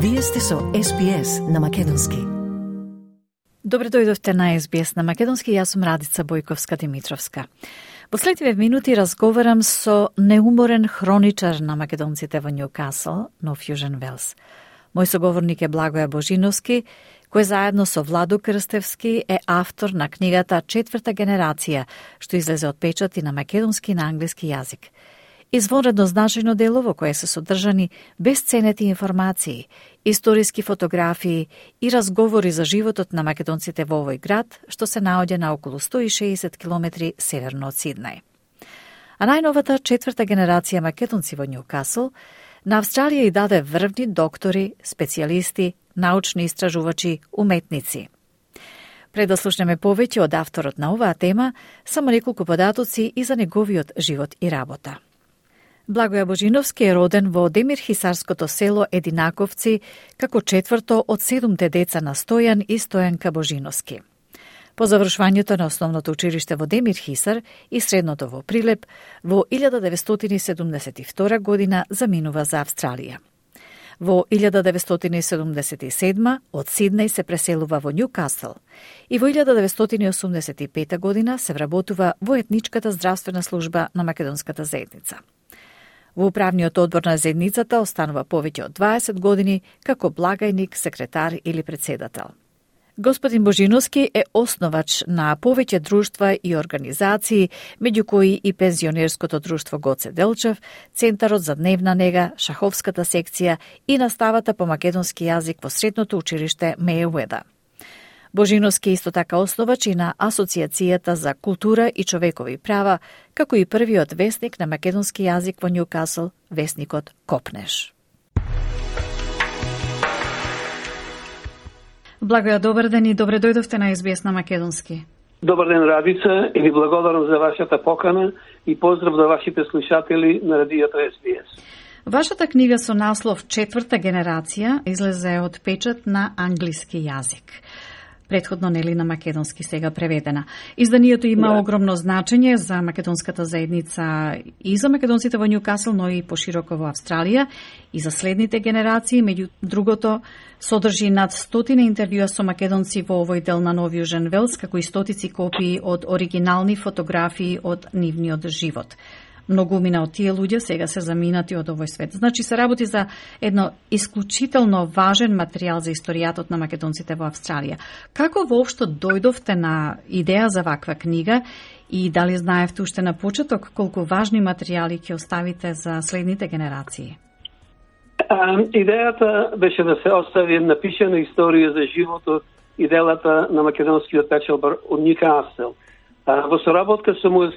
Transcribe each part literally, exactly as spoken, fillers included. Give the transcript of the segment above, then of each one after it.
Вие сте со Ес Би Ес на Македонски. Добре дојдовте на Ес Би Ес на Македонски, јас сум Радица Бојковска-Димитровска. Во следниве минути разговарам со неуморен хроничар на македонците во Њукасл, Нов Јужен Велс. Мој соговорник е Благоја Божиновски, кој заедно со Владо Крстевски е автор на книгата Четврта генерација, што излезе од печат и на македонски и на англиски јазик. Извонредно значајно дело во кое се содржани бесценети информации, историски фотографии и разговори за животот на македонците во овој град, што се наоѓа на околу сто и шеесет километри северно од Сиднеј. А најновата четврта генерација македонци во Њукасл на Австралија и даде врвни доктори, специјалисти, научни истражувачи, уметници. Пред да слушнеме повеќе од авторот на оваа тема, само неколку податоци и за неговиот живот и работа. Благоја Божиновски е роден во Демирхисарското село Единаковци како четврто од седумте деца на Стојан и Стојанка Божиновски. По завршувањето на основното училиште во Демирхисар и средното во Прилеп, во илјада деветстотини седумдесет и втора година заминува за Австралија. Во илјада деветстотини седумдесет и седма од Сиднеј се преселува во Њукасл и во илјада деветстотини осумдесет и пета година се вработува во етничката здравствена служба на македонската заедница. Во управниот одбор на заедницата останува повеќе од дваесет години како благајник, секретар или председател. Господин Божиновски е основач на повеќе друштва и организации, меѓу кои и пензионерското друштво Гоце Делчев, Центарот за дневна нега, шаховската секција и наставата по македонски јазик во средното училиште Мејуеда. Божиновски исто така основач и на Асоцијацијата за култура и човекови права, како и првиот весник на македонски јазик во Њукасл, весникот Копнеш. Благоја, добар ден и добре дојдовте на Ес Би Ес на Македонски. Добар ден, Радица, и ви благодарам за вашата покана и поздрав до вашите слушатели на радиото Ес Би Ес. Вашата книга со наслов Четврта генерација излезе од печат на англиски јазик. Предходно нели на македонски, сега преведена. Изданието има да. огромно значење за македонската заедница и за македонците во Њукасл, но и пошироко во Австралија и за следните генерации. Меѓу другото, содржи над стотина интервјуа со македонци во овој дел на Нов Јужен Велс, како и стотици копии од оригинални фотографии од нивниот живот. Многумина од тие луѓе сега се заминати од овој свет. Значи се работи за едно исклучително важен материјал за историјатот на македонците во Австралија. Како воопшто дојдовте на идеја за ваква книга и дали знаевте уште на почеток колку важни материјали ќе оставите за следните генерации? А, идејата беше да се остави напишана историја за животот и делата на македонскиот печалбар од Њукасл. Во соработка со мој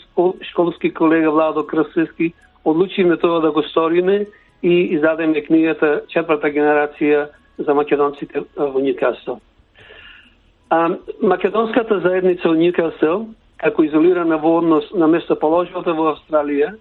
школски колега Владо Крстевски одлучиме тоа да го сториме и издадеме книгата Четврта генерација за македонците во Њукасл. Македонската заедница во Њукасл, како изолирана во однос на местоположбата во Австралија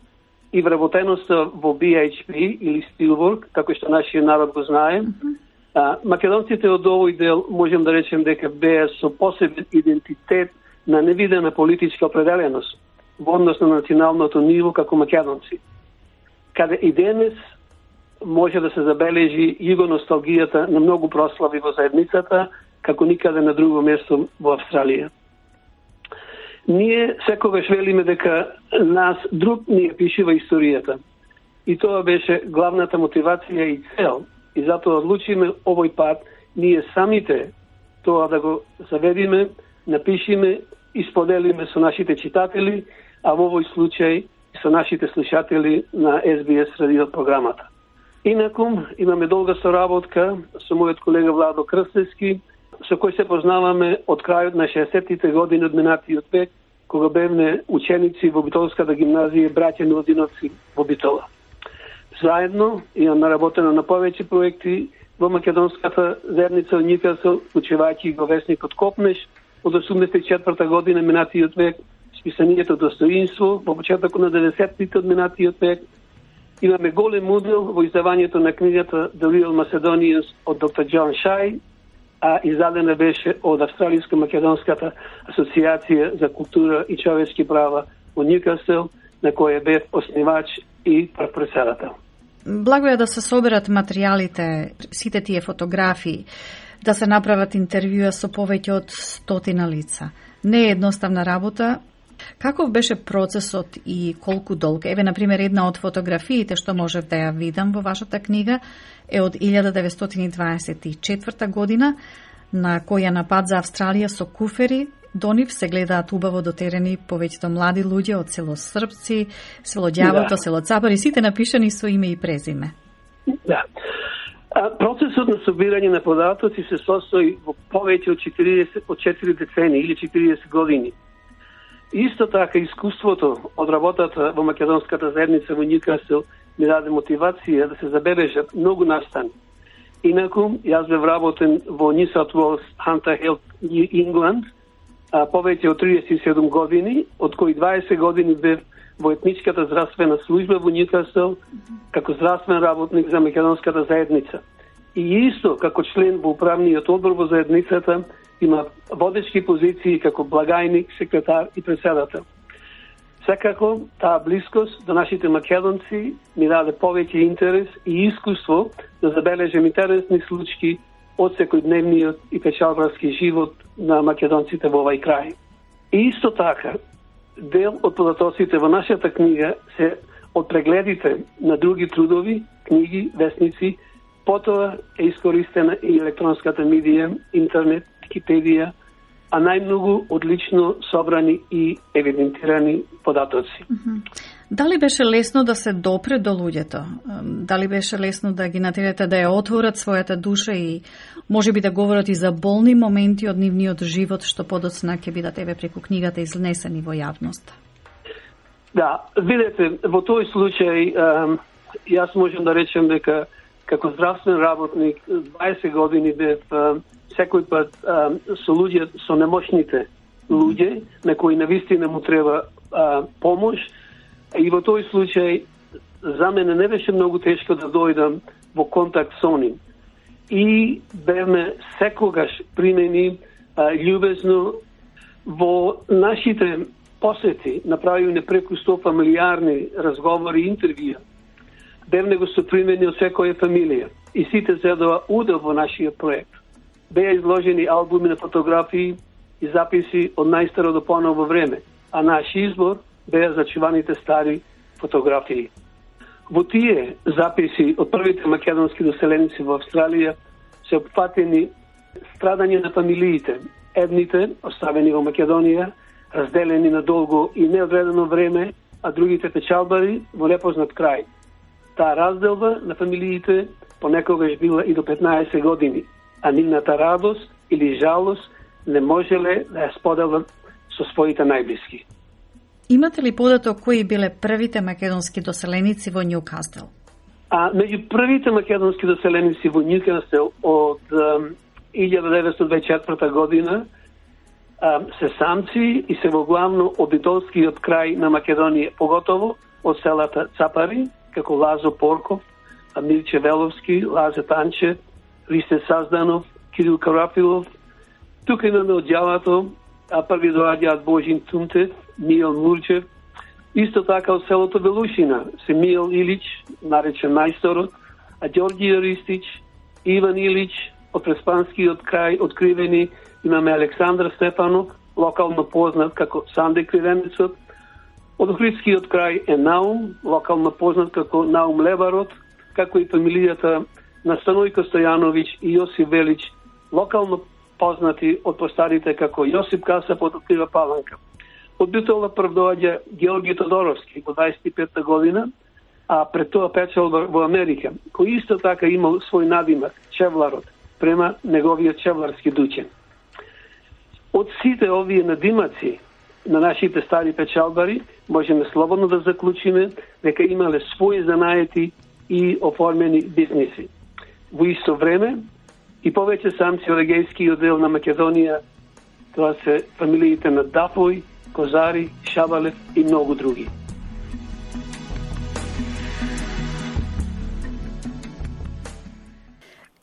и вработеноста во Би Еич Пи или Стилбург, како што нашиот народ го знае, mm-hmm. македонците од овој дел можем да речем дека беа со посебен идентитет на невидена политичка определеност во однос на националното ниво како македонци. Каде и денес може да се забележи југоносталгијата на многу прослави во заедницата, како никаде на друго место во Австралија. Ние секогаш велиме дека нас друг ни ја пишува историјата. И тоа беше главната мотивација и цел. И затоа одлучиме овој пат ние самите тоа да го заведиме, напишиме и споделиме со нашите читатели, а во овој случај со нашите слушатели на Ес Би Ес радио програмата. Инаку, имаме долга соработка со мојот колега Владо Крстевски, со кој се познаваме од крајот на шеесеттите години од минатиот век, кога бевме ученици во Битолската гимназија браќа Милодиновци во Битола. Заедно имам наработено на повеќе проекти во македонската заедница во Њукасл, учевајќи го весникот Копнеш, од осумдесет и четврта година минатиот век, списанието Достоинство, во почетокот на деветдесеттите од минатиот век. Имаме голем удел во издавањето на книгата The Real Macedonians од доктор Џон Шај, а издадена беше од Австралиско-македонската асоциација за култура и човечки права во Њукасл, на која бев основач и председател. Благо е да се соберат материјалите, сите тие фотографии, да се направат интервјуа со повеќе од стотина лица. Не е едноставна работа. Каков беше процесот и колку долг? Еве, например, една од фотографиите што можев да ја видам во вашата книга е од илјада деветстотини дваесет и четврта година, на која на пат за Австралија со куфери до нив се гледаат убаво дотерени повеќето млади луѓе од село Српци, село Ѓавото, да. село Цапари, сите напишани со име и презиме. Да. А, процесот на собирање на податоци се состои во повеќе од четириесет, од четири децени или четириесет години. Исто така искуството од работата во македонската заедница во Нјукасел ми даде мотивација да се забележат многу настани. Инаку, јас бев работен во New South Wales Hunter Health New England а, повеќе од триесет и седум години, од кои дваесет години бев во етничката здравствена служба во Нјукасел како здравствен работник за македонската заедница. И исто како член во управниот одбор во заедницата има водечки позиции како благајник, секретар и председател. Секако, таа блискост до нашите македонци ми даде повеќе интерес и искуство да забележам интересни случаи од секојдневниот и печалбарски живот на македонците во овај крај. И исто така, дел од податоците во нашата книга се од прегледите на други трудови, книги, весници, потоа е искористена и електронската медија, интернет, Википедија, а најмногу одлично собрани и евидентирани податоци. Mm-hmm. Дали беше лесно да се допре до луѓето? Дали беше лесно да ги натерате да ја отворат својата душа и можеби да говорат и за болни моменти од нивниот живот што подоцна ќе бидат еве преку книгата изнесени во јавност? Да, видете, во тој случај јас можам да речем дека како здравствен работник дваесет години бев секој пат а, со луѓе, со немошните луѓе, на кои навистина му треба а, помош. И во тој случај, за мене не беше многу тешко да дојдам во контакт со нив. И бевме секогаш примени а, љубезно во нашите посети, направивме преку сто фамилиарни разговори и интервјуа. Бевме го сопримени од секоја фамилија. И сите зедоа удел во нашиот проект. Беа изложени албуми на фотографии и записи од најстаро до поново време, а наш избор беа зачуваните стари фотографии. Во тие записи од првите македонски доселеници во Австралија се опфатени страдање на фамилиите, едните оставени во Македонија, разделени на долго и неодредено време, а другите печалбари во непознат крај. Таа разделба на фамилиите понекогаш била и до петнаесет години, а нивната радост или жалост не можеле да ја споделат со своите најблиски. Имате ли податок кои биле првите македонски доселеници во Нјукасел? А меѓу првите македонски доселеници во Нјукасел од илјада деветстотини дваесет и четврта година а, се самци и се во главно од битолскиот крај на Македонија, поготово од селата Цапари, како Лазо Порков, Мирче Веловски, Лазе Танче, Ристе Сазданов, Кирил Карафилов. Тука имаме од Ѓавото, а први доаѓаат Божин Тумтев, Мијел Мурчев. Исто така од селото Велушина се Мијел Илич, наречен мајсторот, а Ѓорѓије Ристич, Иван Илич, од Преспанскиот крај откривени имаме Александр Стефанов, локално познат како Санде Кривенецот. Од Охридскиот крај е Наум, локално познат како Наум Лебарот, како и фамилијата на Станојко Стојановиќ и Јосип Велич, локално познати од постарите како Јосип Касап од Открива Паланка. Од Битола прв доаѓа Георги Тодоровски во дваесет и петта година, а пред тоа печал во Америка, кој исто така имал свој надимак, Чевларот, према неговиот чевларски дуќен. Од сите овие надимаци на нашите стари печалбари, можеме слободно да заклучиме дека имале своји занаети и оформени бизниси. Во исто време, и повеќе самци од егејскиот дел на Македонија, тоа се фамилиите на Дафој, Козари, Шабалев и многу други.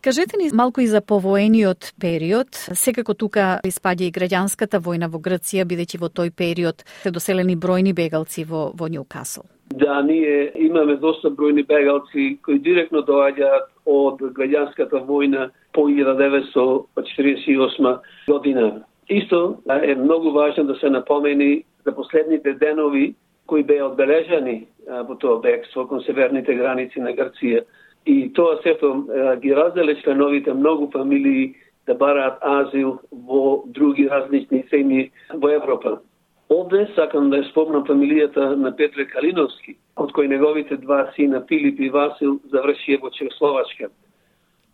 Кажете ни малку и за повоениот период. Секако тука испаѓа и граѓанската војна во Грција, бидејќи во тој период се доселени бројни бегалци во, во Њукасл. Да, ние имаме доста бројни бегалци кои директно доаѓаат од граѓанската војна по илјада деветстотини четиридесет и осма година. Исто е многу важно да се напомени за последните денови кои беа одбележани во тоа бегство кон северните граници на Грција. И тоа сето ги разделе членовите многу фамилии да бараат азил во други различни земји во Европа. Овде сакам да ја спомнам фамилијата на Петре Калиновски, од кој неговите два сина Филип и Васил завршија во Чехословачка.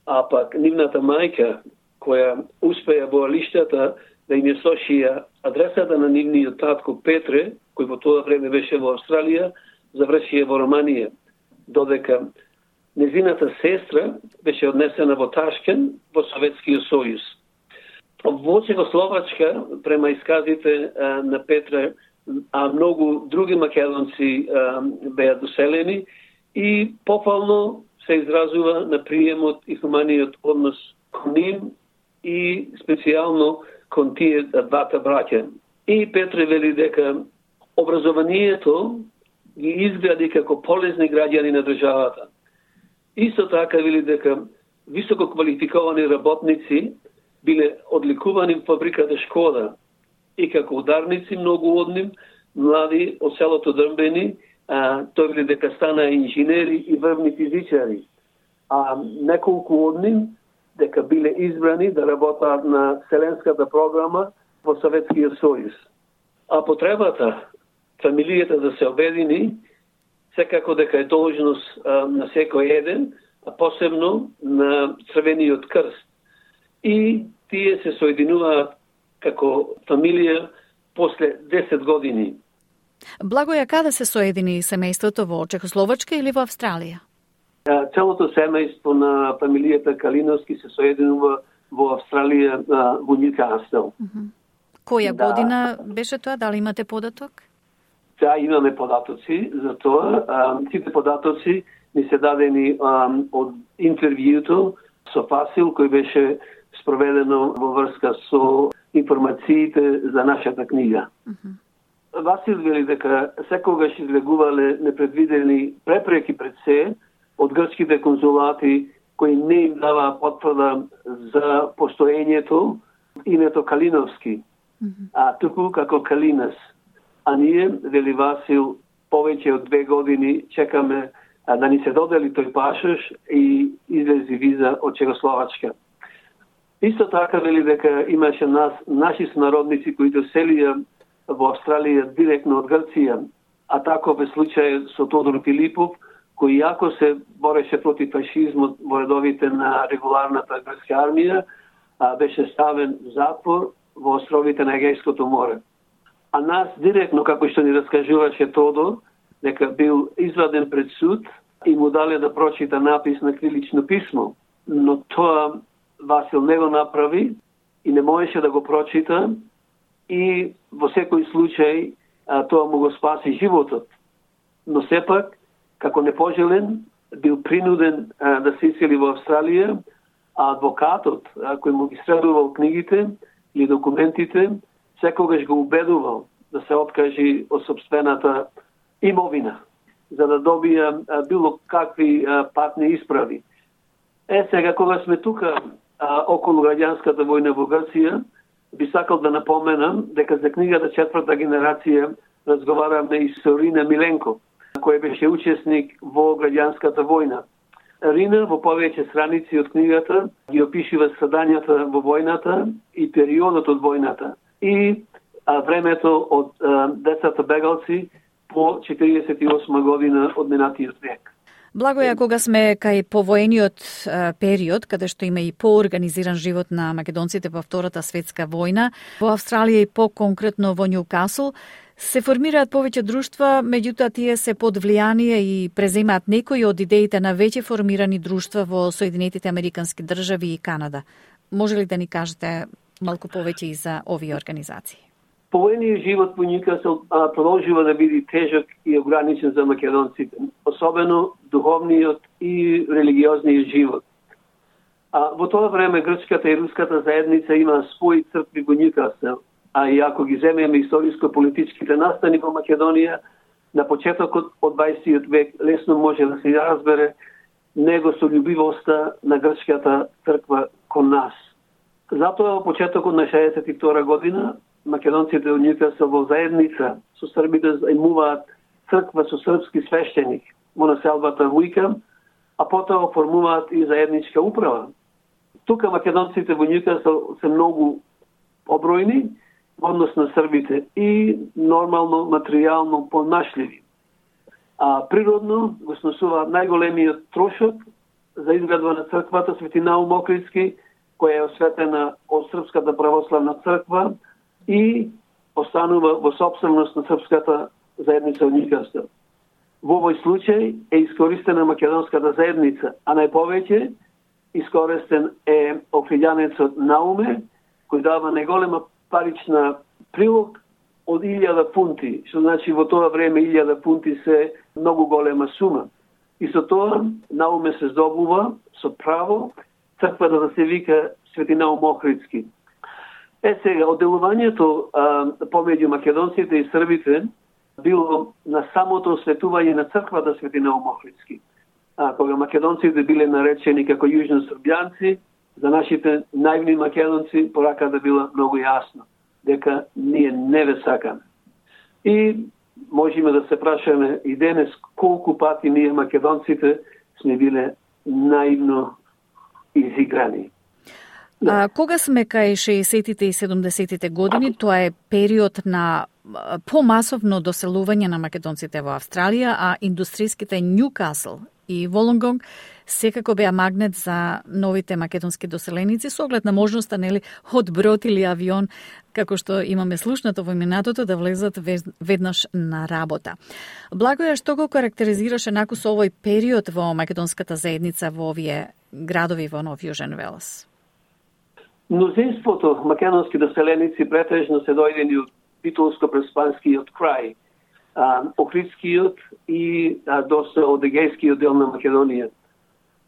А пак нивната мајка, која успеа во лиштата да им ја сошија адресата на нивниот татко Петре, кој во тоа време беше во Австралија, завршија во Романија, додека незината сестра беше однесена во Ташкен, во Советскиот сојуз. Во Чехословачка, према исказите а, на Петра, а многу други македонци а, беа доселени и попално се изразува на приемот и хуманиот однос кон нив и специјално кон тие двата браќа. И Петре вели дека образованието ги изгради како полезни граѓани на државата. Исто така вели дека високо квалификовани работници биле одликувани в фабриката Шкода и како ударници многу од нив, млади од селото Дрмбени, а, тој вели дека стана инженери и врвни физичари. А неколку од нив дека биле избрани да работат на Вселенската програма во Советскиот сојуз. А потребата фамилијата да се обедини секако дека е должност а, на секој еден, а посебно на Црвениот крст. И тие се соединуваат како фамилија после десет години. Благоја, каде се соедини семејството, во Чехословачка или во Австралија? А, целото семејство на фамилијата Калиновски се соединува во Австралија, а, во Њукасл. Која да. година беше тоа? Дали имате податок? Да, имаме податоци за тоа. А, сите податоци ни се дадени а, од интервјуто со Фасил, кој беше спроведено во врска со информациите за нашата книга. Uh-huh. Васил вели дека секогаш излегувале непредвидени препреки пред се од грчките конзулати кои не им даваа потврда за постоењето името Калиновски, uh-huh. а туку како Калинас. А ние, вели Васил, повеќе од две години чекаме а, да ни се додели тој пашош и излези виза од Чехословачка. Исто така вели дека имаше нас, наши снародници кои доселија во Австралија директно од Грција, а таков е случај со Тодор Филипов, кој јако се бореше против фашизмот во редовите на регуларната грчка армија, а беше ставен в затвор во островите на Егејското море. А нас директно, како што ни раскажуваше Тодор, дека бил изваден пред суд и му дале да прочита напис на крилично писмо, но тоа Васил не го направи и не можеше да го прочита и во секој случај а, тоа му го спаси животот. Но сепак, како непожелен, бил принуден а, да се исели во Австралија, а адвокатот, а, кој му ги средувал книгите или документите, секогаш го убедувал да се откажи од собствената имовина, за да добија а, било какви а, патни исправи. Е, сега, кога сме тука а, околу граѓанската војна во Грција, би сакал да напоменам дека за книгата Четврта генерација разговараме и со Рина Миленко, кој беше учесник во граѓанската војна. Рина во повеќе страници од книгата ги опишува страдањата во војната и периодот од војната и а, времето од а, децата бегалци по четиридесет и осма година од минатиот век. Благоја, кога сме кај повоениот е, период, каде што има и поорганизиран живот на македонците во Втората светска војна, во Австралија и по-конкретно во Њукасл, се формираат повеќе друштва, меѓутоа тие се под влијание и преземаат некои од идеите на веќе формирани друштва во Соединетите Американски држави и Канада. Може ли да ни кажете малку повеќе и за овие организации? Повоениот живот во Њукасл продолжува да биде тежок и ограничен за македонците, особено духовниот и религиозниот живот. А во тоа време грчката и руската заедница има своји цркви во Нјукасел, а и ако ги земеме историско-политичките настани во Македонија, на почетокот од дваесеттиот век лесно може да се разбере него со љубивоста на грчката црква кон нас. Затоа во почетокот на шеесет и втора година македонците од Нјукасел во заедница со србите заемуваат црква со српски свештеник во населбата Вујка, а потоа оформуваат и заедничка управа. Тука македонците во Нјукасел се многу побројни во однос на србите и нормално материјално понашливи. А природно го сносуваат најголемиот трошок за изградба на црквата Свети Наум Охридски, која е осветена од Српската православна црква и останува во сопственост на српската заедница од Нјукасел. Во овој случај е искористена македонската заедница, а најповеќе искористен е охриѓанецот Науме, кој дава најголема парична прилог од илјада фунти, што значи во тоа време илјада фунти се многу голема сума. И со тоа Науме се здобува со право црквата да се вика Свети Наум Охридски. Е сега, одделувањето помеѓу македонците и србите било на самото осветување на црквата Свети Наум Охридски. А кога македонците биле наречени како јужно србјанци, за нашите наивни македонци пораката била многу јасна, дека ние не ве сакаме. И можеме да се прашаме и денес колку пати ние македонците сме биле наивно изиграни. Да. А, кога сме кај шеесеттите и седумдесеттите години, тоа е период на помасовно доселување на македонците во Австралија, а индустријските Нјукасел и Волонгонг секако беа магнет за новите македонски доселеници со оглед на можноста, нели, од брод или авион, како што имаме слушнато во минатото, да влезат веднаш на работа. Благоја, што го карактеризираше наку со овој период во македонската заедница во овие градови во Нов Јужен Велс? Мнозинството македонски доселеници претежно се дојдени од Битолско-Преспанскиот крај, Охридскиот и а, доста од егејскиот дел на Македонија.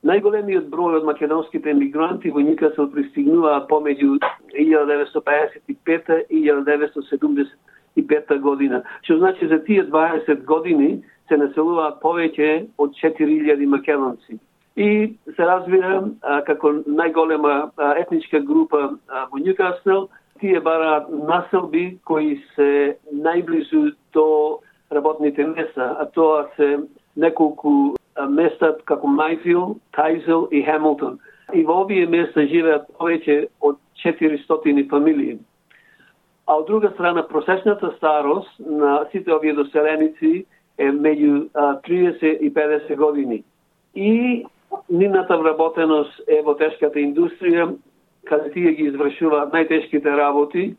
Најголемиот број од македонските емигранти во Нјукасел пристигнуваат помеѓу илјада деветстотини пеесет и пета и илјада деветстотини седумдесет и пета година, што значи за тие дваесет години се населуваат повеќе од четири илјади македонци. И се разбира, а, како најголема а, етничка група а, во Нјукасел, тие бараат населби кои се најблизу до работните места, а тоа се неколку места како Мајфил, Тајзел и Хемилтон. И во овие места живеат повеќе од четиристотини фамилии. А од друга страна, просечната старост на сите овие доселеници е меѓу триесет и педесет години. И нивната вработеност е во тешката индустрија, каде тие ги извршуваат најтешките работи,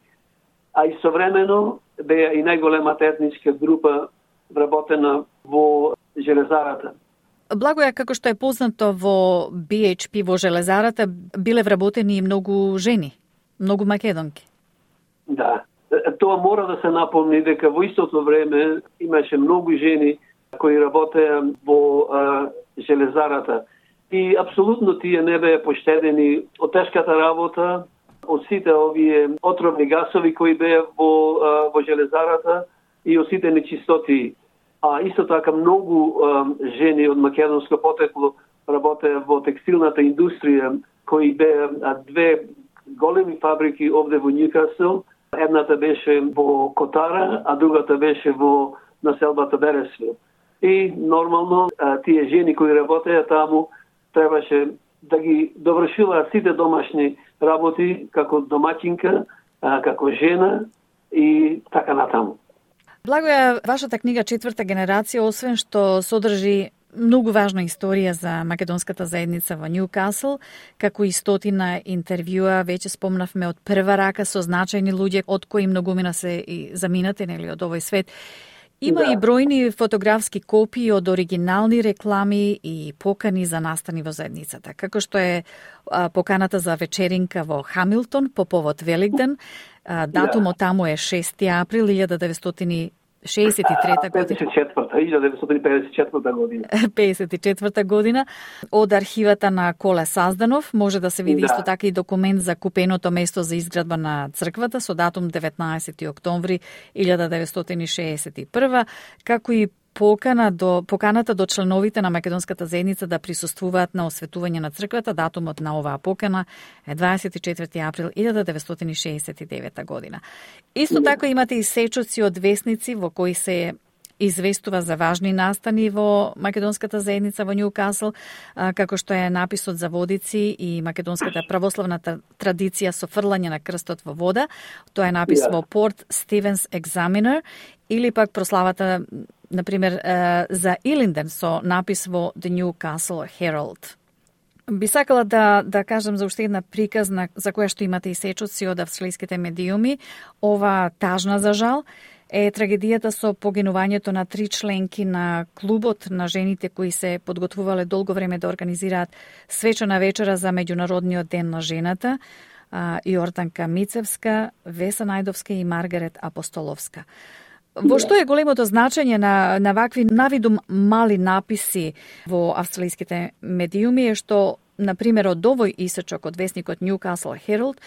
а истовремено беа и најголемата етничка група вработена во железарата. Благоја, како што е познато во Би Еич Пи во железарата, биле вработени и многу жени, многу македонки. Да, тоа мора да се напомни дека во истото време имаше многу жени кои работеа во а, железарата. И апсолутно тие не беа поштедени од тешката работа, од сите овие отровни гасови кои беа во, а, во железарата и од сите нечистоти. А исто така многу а, жени од македонско потекло работеа во текстилната индустрија, кои беа а, две големи фабрики овде во Нјукасел. Едната беше во Котара, а другата беше во населбата Бересвил. И нормално а, тие жени кои работеа таму требаше да ги довршуваат сите домашни работи како домаќинка, а, како жена и така натаму. Благоја, вашата книга Четврта генерација, освен што содржи многу важна историја за македонската заедница во Нјукасел, како и стотина интервјуа, веќе спомнавме од прва рака со значајни луѓе, од кои многумина се и заминати, нели, од овој свет. Има да. И бројни фотографски копии од оригинални реклами и покани за настани во заедницата, како што е а, поканата за вечеринка во Хамилтон по повод Великден. А, датумот да. Таму е шести април илјада деветстотини шеесет и трета година. илјада деветстотини педесет и четврта година. педесет и четврта година. Од архивата на Коле Сазданов може да се види да. Исто така и документ за купеното место за изградба на црквата со датум деветнаесети октомври илјада деветстотини шеесет и прва, како и покана до, поканата до членовите на македонската заедница да присуствуваат на осветување на црквата. Датумот на оваа покана е дваесет и четврти април илјада деветстотини шеесет и девета година. Исто така имате и сечоци од весници во кои се известува за важни настани во македонската заедница во Њукасл, како што е написот за водици и македонската православна традиција со фрлање на крстот во вода. Тоа е напис yeah. во Порт Стивенс Examiner, или пак прославата, например, за Илинден со напис во The Newcastle Herald. Би сакала да, да кажам за уште една приказна за која што имате и сечоци од австралиските медиуми. Ова тажна за жал е трагедијата со погинувањето на три членки на клубот на жените кои се подготвувале долго време да организираат свечена вечера за Меѓународниот ден на жената, Јорданка Мицевска, Веса Најдовска и Маргарет Апостоловска. Во што е големото значење на, на вакви навидум мали написи во австралиските медиуми е што, например, од овој исечок од весникот Newcastle Herald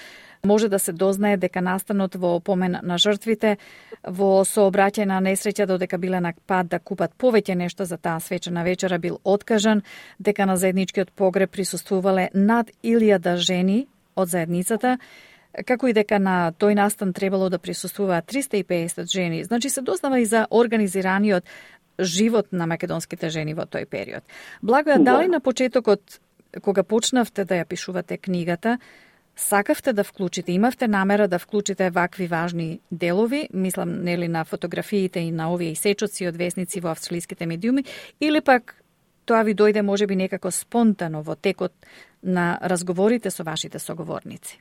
може да се дознае дека настанот во помен на жртвите во сообраќај на несреќа додека биле на пат да купат повеќе нешто за таа свечена вечера бил откажан, дека на заедничкиот погреб присуствувале над илјада жени од заедницата, како и дека на тој настан требало да присуствуваат триста и педесет жени. Значи се дознава и за организираниот живот на македонските жени во тој период. Благоја, дали на почетокот, кога почнавте да ја пишувате книгата, сакавте да вклучите, имавте намера да вклучите вакви важни делови, мислам нели на фотографиите и на овие сечоци од весници во австралиските медиуми, или пак тоа ви дојде можеби некако спонтано во текот на разговорите со вашите соговорници?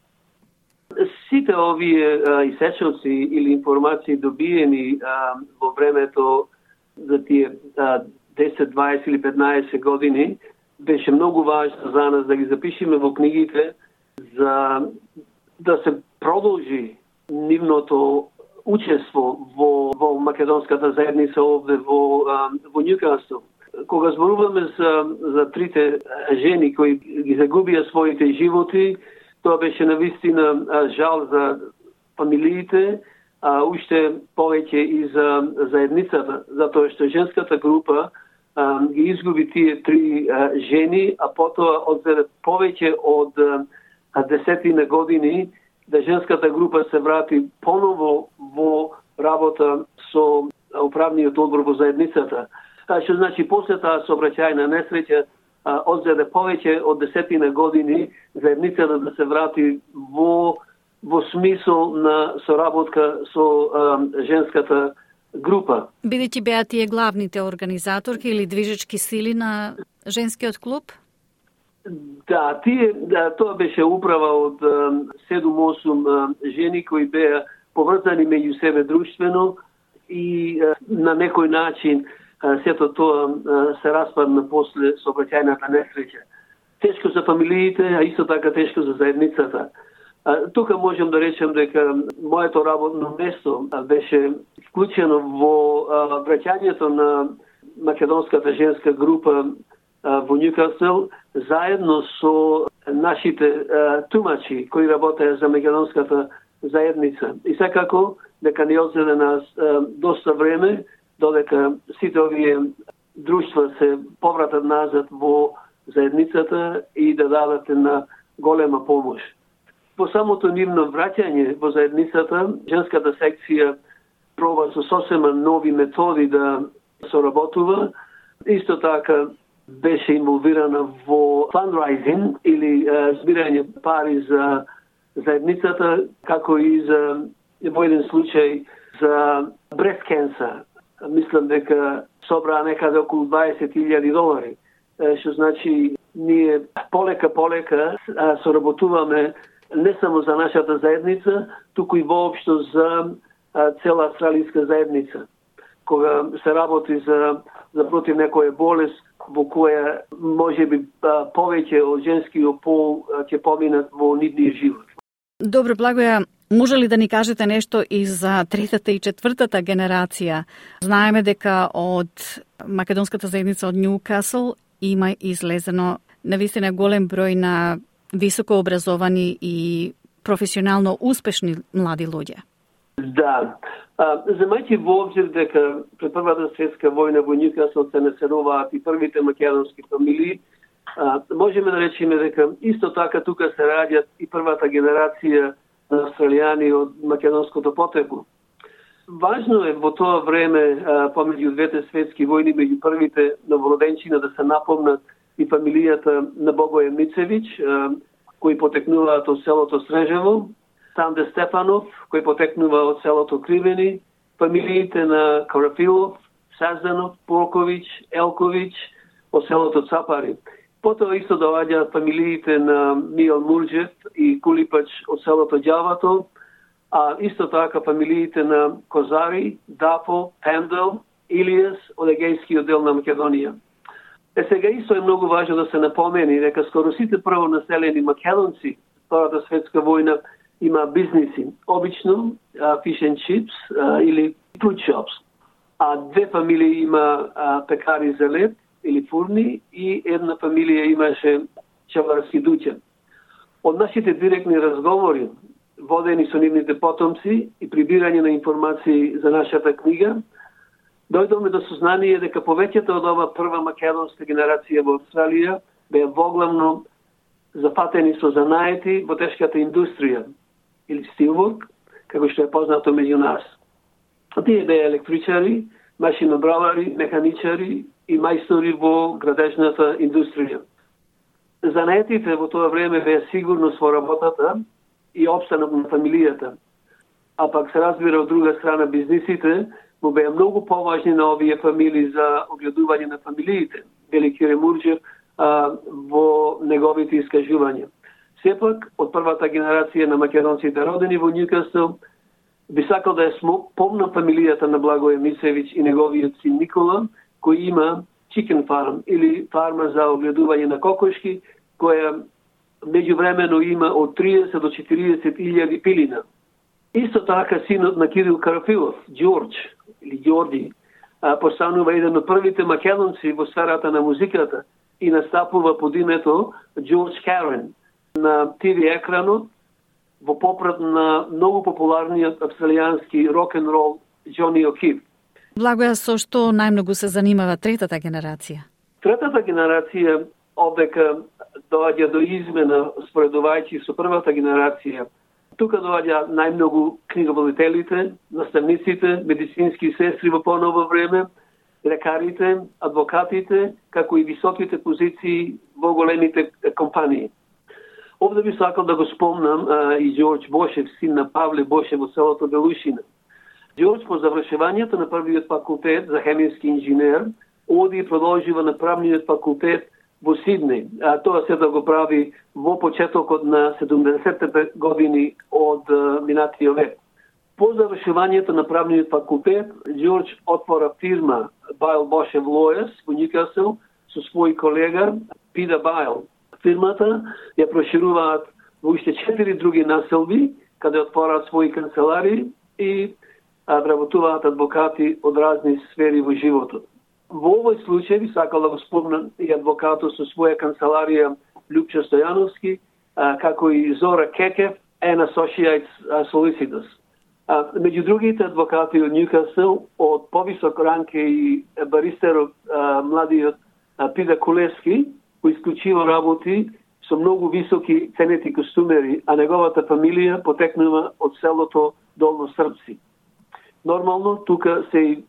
Сите овие исечоци или информации добиени а, во времето за тие а, десет, дваесет или петнаесет години беше многу важно за нас да ги запишеме во книгите, за да се продолжи нивното учество во, во македонската заедница овде во, во Њукасл. Кога зборуваме за, за трите жени кои ги загубија своите животи, тоа беше навистина жал за фамилиите, а уште повеќе и за заедницата, затоа што женската група а, ги изгуби тие три а, жени, а потоа одзеде повеќе од а, десетина години да женската група се врати поново во работа со управниот одбор во заедницата. А, што значи после таа сообраќајна несреќа одзеде повеќе од десетина години заедницата да се врати во во смисол на соработка со а, женската група. Бидејќи беа тие главните организаторки или движечки сили на женскиот клуб? Да, тие, да, тоа беше управа од седум-осум жени кои беа поврзани меѓу себе друштвено и а, на некој начин а, сето тоа а, се распадна после сообраќајната несреќа. Тешко за фамилиите, а исто така тешко за заедницата. А, тука можам да речем дека моето работно место а, беше вклучено во а, враќањето на македонската женска група а, во Њукасл, заедно со нашите а, тумачи кои работеа за македонската заедница. И секако дека ни одзеде нас а, доста време додека сите овие друштва се повратат назад во заедницата и да дадат на голема помош. По самото нивно враќање во заедницата, женската секција проба со сосема нови методи да соработува. Исто така беше инволвирана во fundraising или uh, збирање пари за заедницата, како и за во еден случај за breast cancer. Мислам дека собраа некаде околу дваесет илјади долари, што значи ние полека-полека соработуваме не само за нашата заедница, туку и воопшто за а, цела австралијска заедница. Кога се работи за, за против некоја болест во која можеби повеќе од женскиот пол ќе поминат во нивниот живот. Добро, Благоја, Може ли да ни кажете нешто и за третата и четвртата генерација? Знаеме дека од македонската заедница од Ньюкасл има излезено навистина голем број на високо образовани и професионално успешни млади луѓе. Да. А, земајќи во обзир дека пред Првата светска војна во Ньюкасл се населуваат и првите македонски фамилии, а, можеме да речеме дека исто така тука се раѓат и првата генерација на австралијани од македонското потекло. Важно е во тоа време, а, помеѓу двете светски војни, меѓу првите новороденчина да се напомнат и фамилијата на Богоје Мицевиќ, а, кои потекнуваат од селото Срежево, Санде Стефанов, кој потекнува од селото Кривени, фамилиите на Карафилов, Сазданов, Полковиќ, Елковиќ од селото Цапари. Потоа исто доаѓаат фамилиите на Мијал Мурџев и Кулипач од селото Ѓавато, а исто така фамилиите на Козари, Дафо, Пендел, Илијас од егејскиот дел на Македонија. Е сега исто е многу важно да се напомени дека скоро сите првонаселени македонци Втората светска војна има бизниси, обично uh, fish and chips uh, или food shops. А две фамилии има uh, пекари за лед или фурни и една фамилија имаше чаварски дуќан. Од нашите директни разговори, водени со нивните потомци и прибирање на информации за нашата книга, дојдовме до сознание дека повеќето од ова прва македонска генерација во Австралија беа воглавно зафатени со занаети во тешката индустрија, или стилворк, како што е познато меѓу нас. Тие беа електричари, машинобравари, механичари и мајстори во градежната индустрија. Занаетите во тоа време беа сигурност во работата и опстанок на фамилијата, а пак се разбира од друга страна бизнисите му беа многу поважни на овие фамилии за огледување на фамилиите, вели Кире Мурџев во неговите искажувања. Сепак, од првата генерација на македонците родени во Ньюкасл, би сакал да ја помнам фамилијата на Благоје Мицевиќ и неговиот син Никола, кој има chicken farm или фарма за огледување на кокошки, која меѓувремено има од триесет до четириесет илјади пилина. Исто така синот на Кирил Карафилов, Ѓорџ или Ѓорди, постанува еден од првите македонци во сферата на музиката и настапува под името Ѓорџ Карен на ти ви екранот во попрат на многу популарниот австралијански рок-н-рол Џони О'Киф. Благоја, со што најмногу се занимава третата генерација? Третата генерација одека доаѓа до измена споредувајќи со првата генерација. Тука доаѓа најмногу книговодителите, наставниците, медицински сестри во поново време, лекарите, адвокатите, како и високите позиции во големите компании. Овде би сакал да го спомнам а, и Ѓорџ Бошев, син на Павле Бошев во селото Белушина. Ѓорџ по завршувањето на првиот факултет за хемиски инженер оди и продолжива на правниот факултет во Сиднеј. А тоа се да го прави во почетокот на седумдесетте години од а, минатиот век. По завршувањето на правниот факултет, Ѓорџ отвора фирма Байл Бошев Лојас во Ньюкасл со свој колега Питер Байл. Фирмата ја прошируваат во уште четири други населби, каде отвораат своји канцелари и а, вработуваат адвокати од разни сфери во животот. Во овој случај би сакал да го спомнам и адвокатот со своја канцеларија Љупчо Стојановски, а, како и Зора Кекев and Associates Solicitors. А, меѓу другите адвокати од Ньюкасл, од повисок ранг и баристерот а, младиот а, Питер Кулевски, кој исклучиво работи со многу високи ценети костумери, а неговата фамилија потекнува од селото Долно Српци. Нормално, тука се и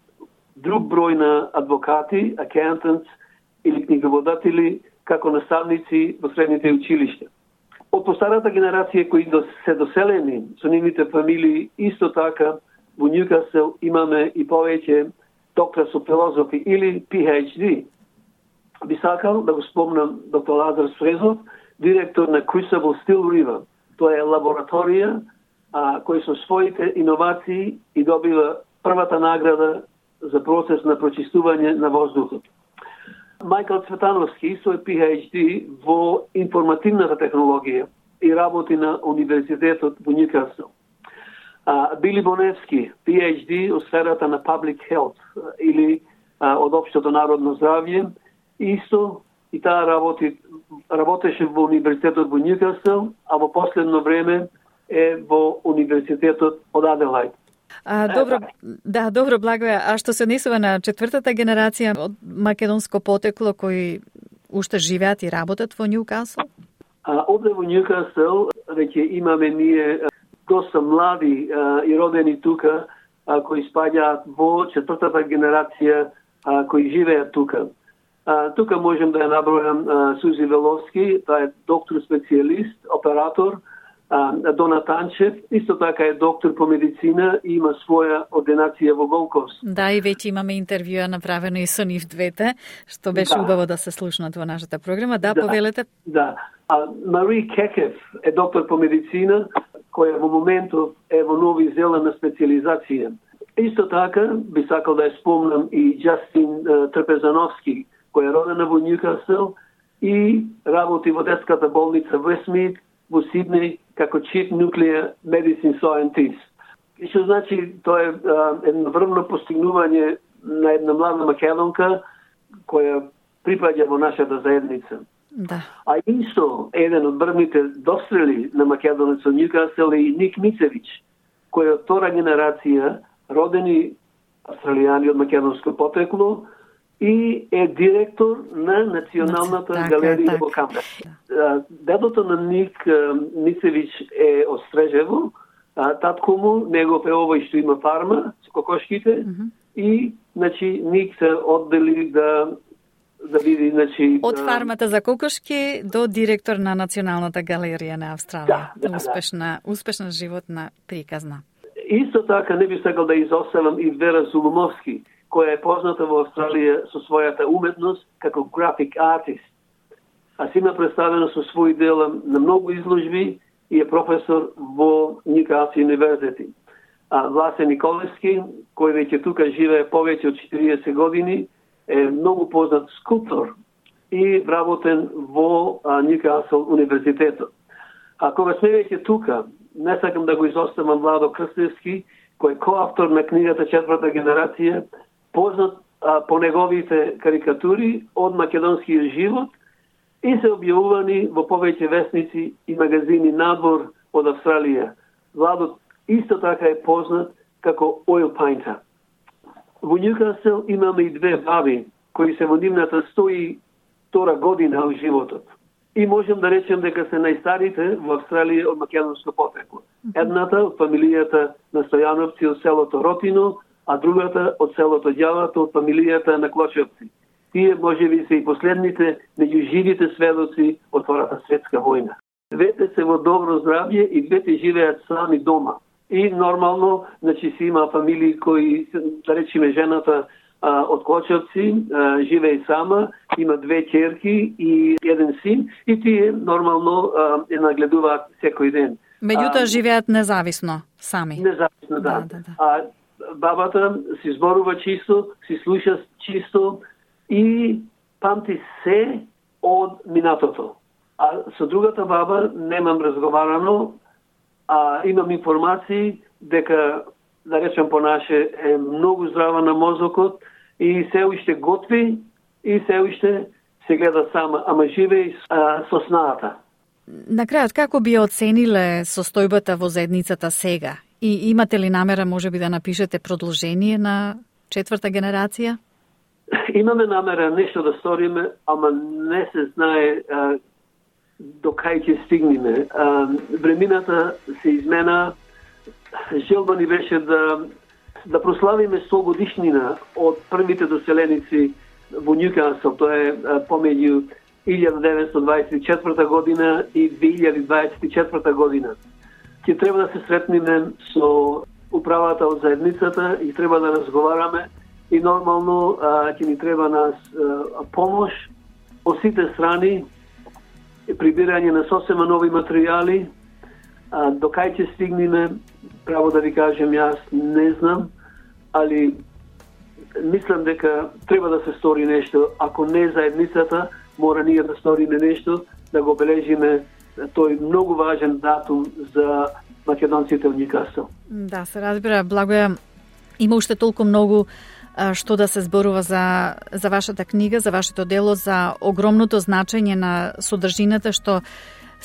друг број на адвокати, акаунтантс или книговодатели, како наставници во средните училишта. Од постарата генерација кои се доселени со нивните фамилии, исто така во Ньюкасл имаме и повеќе доктор со филозофи или Пи Еич Ди. Би сакал да го спомнам доктор Лазар Сфрезов, директор на Crucible Steel River. Тоа е лабораторија а, кој со своите иновации и добива првата награда за процес на прочистување на воздухот. Мајкл Цветановски со Пи Еич Ди во информативната технологија и работи на Универзитетот во Ньюкасл. А, Били Боневски, Пи Еич Ди од сферата на Public Health или а, од општото народно здравје, исто и таа работи, работеше во Универзитетот во Ньюкасл, а во последно време е во Универзитетот од Аделајд. А, добро, да, добро, Благоја. А што се однесува на четвртата генерација од македонско потекло кои уште живеат и работат во Ньюкасл? А, овде во Ньюкасл веќе имаме ние доста млади а, и родени тука, а, кои спаѓаат во четвртата генерација а, кои живеат тука. А, тука можем да ја набројам а, Сузи Веловски, таа е доктор специјалист, оператор, а, Дона Танчев, исто така е доктор по медицина и има своја ординација во Голковс. Да, и веќе имаме интервјуа направено и со нив двете, што беше да. убаво да се слушнат во нашата програма. Да, да. Повелете. Да. А, Мари Кекев е доктор по медицина, која во моментов е во Нови Зеланд на специализација. Исто така би сакал да ја спомнам и Джастин uh, Трпезановски, која е родена во Ньюкасл и работи во детската болница Вестмид во Сиднеј како Chief Nuclear Medicine Scientist. И што значи, тоа е uh, едно врвно постигнување на една млада македонка која припаѓа во нашата заедница. Да. А исто, еден од врвните дострели на македонецот Ньюкасл е и Ник Мицевич, кој е од втора генерација, родени австралијани од македонско потекло и е директор на Националната така, галерија така. во Камбера. Дедото на Ник Мицевич е од Стрежево, татко му, негов е овој што има фарма со кокошките, mm -hmm. и значи Ник се оддели да да види, значи... Од фармата за кокошки до директор на Националната галерија на Австралија. Да, да, успешна, да. успешна животна приказна. Исто така не би сакал да изоставам и Вера Зулумовски, која е позната во Австралија со својата уметност како график артист. А си има представено со своји дела на многу изложби и е професор во Ньюкасл универзитет. А Власе Николевски, кој веќе тука живее повеќе од четириесет години, е многу познат скулптор и вработен во Ньюкасл универзитетот. А кога сме веќе тука, не сакам да го изоставам Владо Крстевски, кој е коавтор на книгата Четврта генерација, познат а, по неговите карикатури од македонскиот живот и се објавувани во повеќе весници и магазини надвор од Австралија. Владо исто така е познат како oil painter. Во Ньюкасл имаме и две баби кои се во нивната сто и втора година од животот. И можем да речем дека се најстарите во Австралија од македонско потекло. Едната од фамилијата на Стојановци од селото Ротино, а другата од селото Ѓавато од фамилијата на Клочевци. Тие можеби се и последните меѓу живите сведоци од Втората светска војна. Двете се во добро здравје и двете живеат сами дома. И нормално, значи си има фамилии кои, да речеме жената а, од Клочевци, а, живее сама, има две ќерки и еден син, и тие нормално а, е нагледуваат секој ден. Меѓутоа живеат независно, сами. Независно, да. да, да, да. А бабата си зборува чисто, си слуша чисто и памти се од минатото. А со другата баба немам разговарано, а имам информации дека, да речем по наше, е многу здрава на мозокот и се уште готви и се уште се гледа сама, ама живее со снаата. На крајот, како би оцениле состојбата во заедницата сега? И имате ли намера, можеби, да напишете продолжение на четврта генерација? Имаме намера нешто да сториме, ама не се знае а, до кај ќе стигнеме. А, времината се измена. Желба ни беше да да прославиме сто годишнина од првите доселеници во Ньюкасл. Тоа е помеѓу илјада деветстотини дваесет и четврта година и две илјади дваесет и четврта година. Ќе треба да се сретнеме со управата од заедницата и треба да разговараме и нормално а, ќе ни треба нас а, помош од сите страни, прибирање на сосема нови материјали. А, до кај ќе стигнеме, право да ви кажем, јас не знам, али мислам дека треба да се стори нешто. Ако не заедницата, мора ние да сториме нешто, да го обележиме тој многу важен датум за македонците од Ньюкасл. Да, се разбира, Благоја, има уште толку многу што да се зборува за, за вашата книга, за вашето дело, за огромното значење на содржината што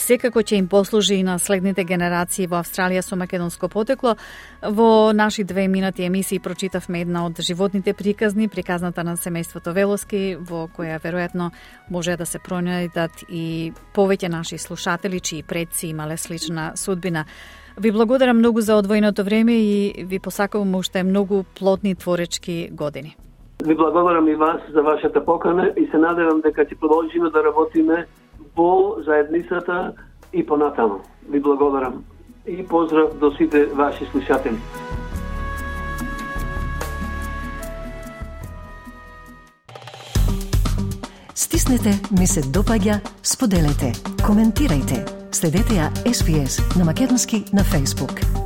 секако ќе им послужи и на следните генерации во Австралија со македонско потекло. Во наши две минати емисии прочитавме една од животните приказни, приказната на семејството Велоски, во која веројатно може да се пронајдат и повеќе наши слушатели чии предци имале слична судбина. Ви благодарам многу за одвоеното време и ви посакувам уште многу плодни творечки години. Ви благодарам и вас за вашата покана и се надевам дека ќе продолжиме да работиме во заедницата и понатаму. Ви благодарам и поздрав до сите ваши слушатели. Стиснете, ми се допаѓа, споделете, коментирајте. Следете ја Ес Би Ес на македонски на Facebook.